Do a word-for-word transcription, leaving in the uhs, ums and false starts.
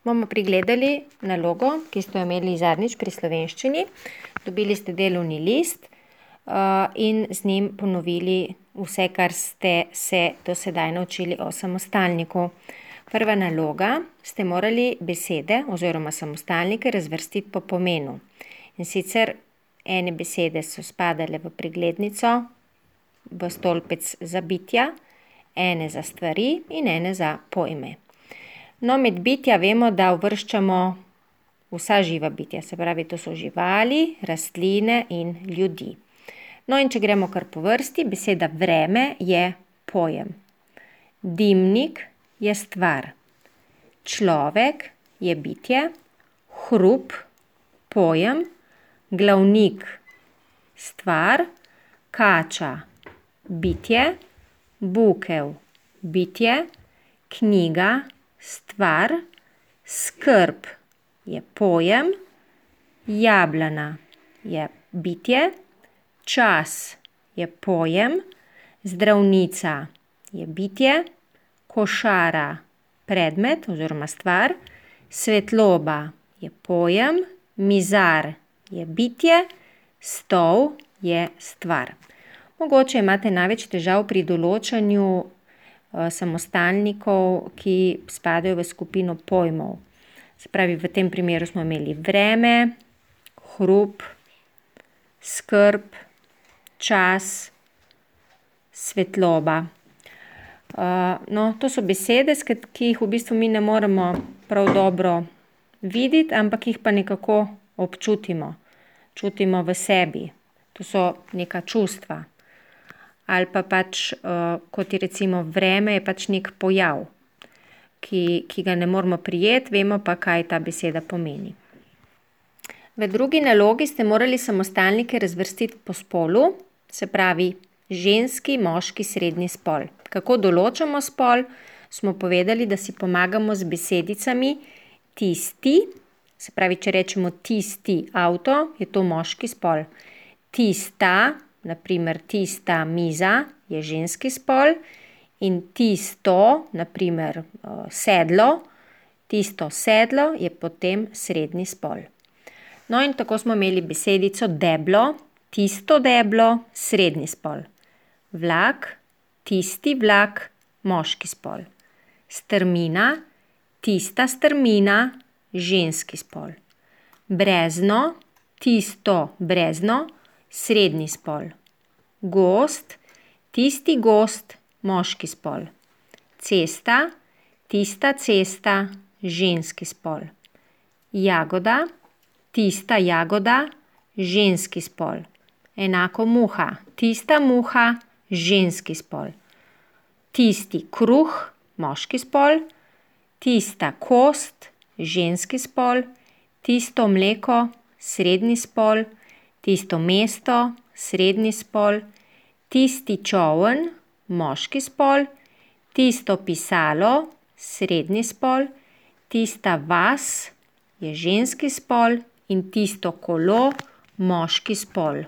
bomo pregledali nalogo, ki ste jo imeli zadnjič pri slovenščini. Dobili ste delovni list uh, in z njim ponovili vse, kar ste se do sedaj naučili o samostalniku. Prva naloga, ste morali besede oziroma samostalnike razvrstiti po pomenu. In sicer ene besede so spadale v preglednico, v stolpec za bitja, ene za stvari in ene za pojme. No, med bitja vemo, da uvrščamo vsa živa bitja, se pravi, to so živali, rastline in ljudi. No, in če gremo kar po vrsti, beseda vreme je pojem. Dimnik je stvar. Človek je bitje, hrup, pojem, glavnik, stvar, kača, bitje, bukev, bitje, knjiga, stvar, skrb je pojem, jablana je bitje, čas je pojem, zdravnica je bitje, košara predmet oziroma stvar, svetloba je pojem, mizar je bitje, stol je stvar. Mogoče imate največ težav pri določanju uh, samostalnikov, ki spadajo v skupino pojmov. Se pravi, v tem primeru smo imeli vreme, hrup, skrb, čas, svetloba. Uh, no, to so besede, ki jih v bistvu mi ne moremo prav dobro videti, ampak jih pa nekako občutimo. Čutimo v sebi. To so neka čustva. Ali pa pač, uh, kot je recimo vreme, je pač nek pojav, ki, ki ga ne moramo prijeti, vemo pa, kaj ta beseda pomeni. V drugi nalogi ste morali samostalnike razvrstiti po spolu, se pravi ženski, moški, srednji spol. Kako določamo spol? Smo povedali, da si pomagamo z besedicami tisti, se pravi, če rečemo tisti avto, je to moški spol. Tista, na primer tista miza, je ženski spol in tisto, na primer sedlo, tisto sedlo je potem srednji spol. No in tako smo imeli besedico deblo, tisto deblo, srednji spol. Vlak, tisti vlak, moški spol. Strmina, tista strmina, ženski spol. Brezno, tisto brezno, srednji spol. Gozd, tisti gozd, moški spol. Cesta, tista cesta, ženski spol. Jagoda, tista jagoda, ženski spol. Enako muha, tista muha, ženski spol. Tisti kruh, moški spol. Tista kost, ženski spol. Tisto mleko, srednji spol. Tisto mesto, srednji spol. Tisti čoln, moški spol. Tisto pisalo, srednji spol. Tista vas je ženski spol in tisto kolo, moški spol.